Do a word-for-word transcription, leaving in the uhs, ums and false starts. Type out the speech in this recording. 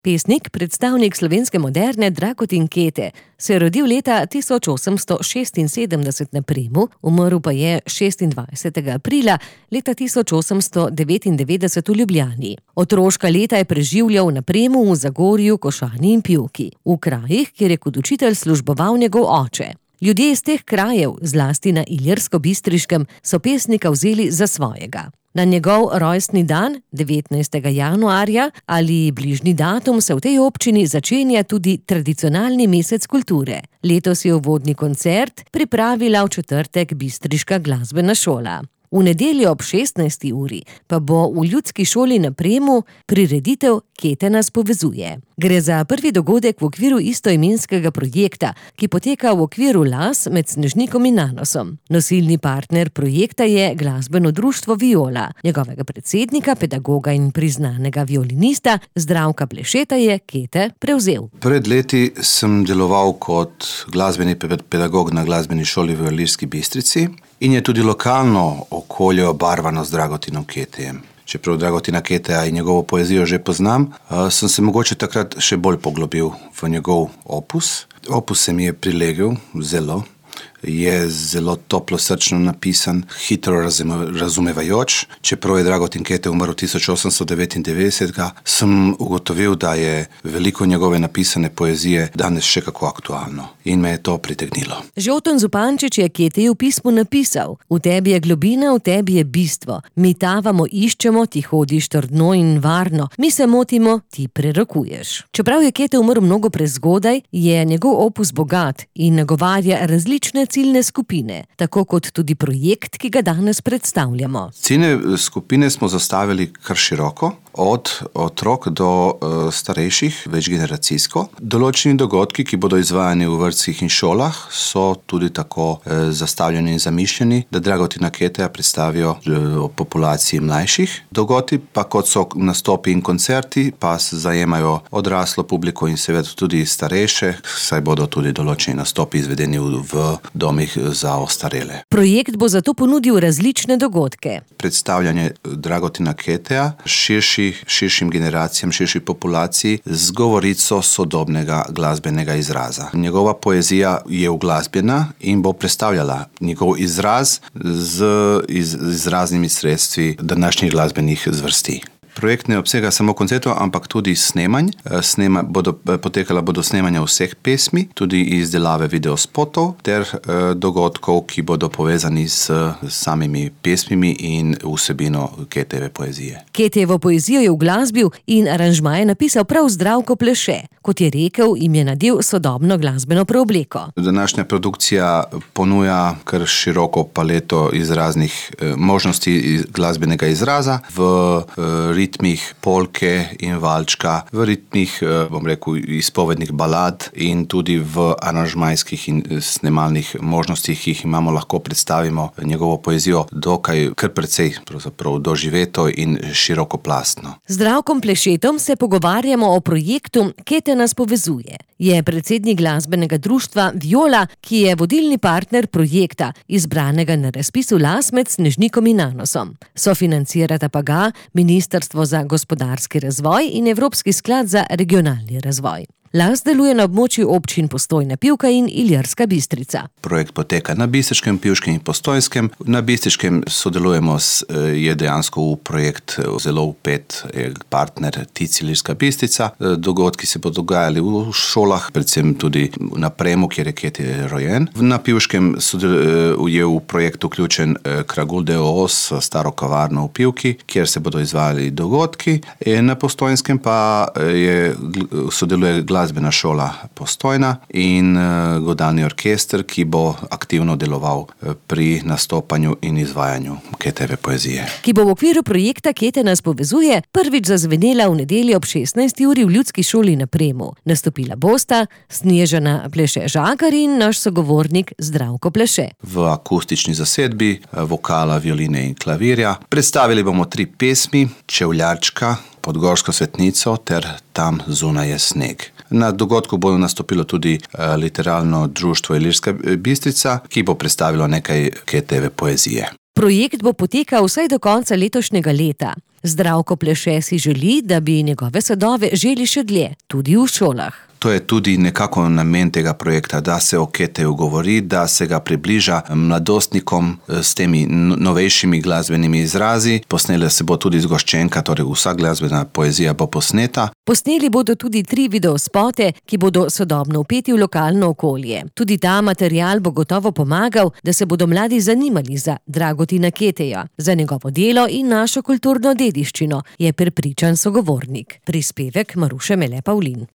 Pesnik, predstavnik slovenske moderne Dragutin Kete, se je rodil leta tisoč osemsto šestinsedemdeset na Premu, umrl pa je šestindvajsetega aprila leta tisoč osemsto devetindevetdeset v Ljubljani. Otroška leta je preživljal na Premu, v Zagorju, Košani in Pivki, v krajih, kjer je kot učitelj služboval njegov oče. Ljudje iz teh krajev, zlasti na Ilirsko-Bistriškem, so pesnika vzeli za svojega. Na njegov rojstni dan, devetnajstega januarja, ali bližnji datum, se v tej občini začenja tudi tradicionalni mesec kulture. Letos je uvodni koncert pripravila v četrtek bistriška glasbena šola. V nedeljo ob šestnajsti uri pa bo v Ljudski šoli na Premu prireditev Kete nas povezuje. Gre za prvi dogodek v okviru istoimenskega projekta, ki poteka v okviru Las med Snežnikom in Nanosom. Nosilni partner projekta je glasbeno društvo Viola. Njegovega predsednika, pedagoga in priznanega violinista Zdravka Plešeta je Kete prevzel. Pred leti sem deloval kot glasbeni pedagog na glasbeni šoli v Ilirski Bistrici in je tudi lokalno okolje obarvano z Dragutinom Ketejem. Čeprav Dragutina Keteja in njegovo poezijo že poznam, sem se mogoče takrat še bolj poglobil v njegov opus. Opus se mi je prilegel zelo, je zelo toplo srčno napisan, hitro razumevajoč. Čeprav je Dragutin Kete umrl tisoč osemsto devetindevetdeset, sem ugotovil, da je veliko njegove napisane poezije danes še kako aktualno in me je to pritegnilo. Žolton Zupančič je Keteju v pismu napisal: V tebi je globina, v tebi je bistvo. Mi tavamo, iščemo, ti hodiš trdno in varno. Mi se motimo, ti prerokuješ. Čeprav je Kete umrl mnogo prezgodaj, je njegov opus bogat in nagovarja različne ciljne skupine, tako kot tudi projekt, ki ga danes predstavljamo. Ciljne skupine smo zastavili kar široko, od otrok do uh, starejših, večgeneracijsko. Določeni dogodki, ki bodo izvajani v vrtcih in šolah, so tudi tako uh, zastavljeni in zamišljeni, da Dragutina Keteja predstavijo uh, populaciji mlajših. Dogodki pa, kot so nastopi in koncerti, pa zajemajo odraslo publiko in seveda tudi starejše, saj bodo tudi določeni nastopi izvedeni v, v domih za ostarele. Projekt bo zato ponudil različne dogodke. Predstavljanje Dragutina Keteja širši, širšim generacijam, širši populaciji z govorico sodobnega glasbenega izraza. Njegova poezija je uglasbena in bo predstavljala njegov izraz z iz, izraznimi sredstvi današnjih glasbenih zvrsti. Projekt ne obsega samo koncertov, ampak tudi snemanj. Snema, bodo, potekala bodo snemanja vseh pesmi, tudi izdelave videospotov ter eh, dogodkov, ki bodo povezani s, s samimi pesmimi in vsebino Ketejeve poezije. Ketejevo poezijo je uglasbil in aranžmaje napisal prav Zdravko Pleše. Kot je rekel, jim je nadel sodobno glasbeno preobleko. Današnja produkcija ponuja kar široko paleto izraznih eh, možnosti iz, glasbenega izraza v eh, ritmih polke in valčka, v ritmih, bom rekel, izpovednih balad in tudi v aranžmajskih in snemalnih možnostih, ki jih imamo, lahko predstavimo njegovo poezijo dokaj kar precej pravzaprav doživeto in širokoplastno. Z Zdravkom Plešetom se pogovarjamo o projektu Kete nas povezuje. Je predsednik glasbenega društva Viola, ki je vodilni partner projekta, izbranega na razpisu Las med Snežnikom in Nanosom. Sofinancirata pa ga Ministrstvo za gospodarski razvoj in Evropski sklad za regionalni razvoj. Las deluje na območju občin Postojna, Pivka in Ilirska Bistrica. Projekt poteka na Bistriškem, Pivškem in Postojnskem. Na Bistriškem sodelujemo, s, je dejansko v projekt zelo vpet partner T I C Ilirska Bistrica. Dogodki se bodo dogajali v šolah, predvsem tudi na Premu, kjer je Kete rojen. Na Pivškem je v projekt vključen Kragul d. o. o. s staro kavarno v Pivki, kjer se bodo izvajali dogodki. Na Postojnskem pa je, sodeluje glasbena šola Postojna in uh, godalni orkester, ki bo aktivno deloval uh, pri nastopanju in izvajanju Ketejeve poezije. Ki bo v okviru projekta Kete nas povezuje prvič zazvenela v nedeljo ob šestnajsti uri v Ljudski šoli na Premu. Nastopila bosta Snežana Pleše-Žagar in naš sogovornik Zdravko Pleše. V akustični zasedbi vokala, violine in klavirja. Predstavili bomo tri pesmi: Čevljarčka, Pod gorsko svetnico ter Tam zunaj je sneg. Na dogodku bo nastopilo tudi uh, literarno društvo Ilirska Bistrica, ki bo predstavilo nekaj Ketejeve poezije. Projekt bo potekal vsaj do konca letošnjega leta. Zdravko Pleše si želi, da bi njegove sadove želi še dlje, tudi v šolah. To je tudi nekako namen tega projekta, da se o Keteju govori, da se ga približa mladostnikom s temi novejšimi glasbenimi izrazi. Posnela se bo tudi zgoščenka, torej vsa glasbena poezija bo posneta. Posneli bodo tudi tri videospote, ki bodo sodobno vpeti v lokalno okolje. Tudi ta material bo gotovo pomagal, da se bodo mladi zanimali za Dragutina Keteja, za njegovo delo in našo kulturno dediščino, je prepričan sogovornik. Prispevek Maruše Mele Pavlin.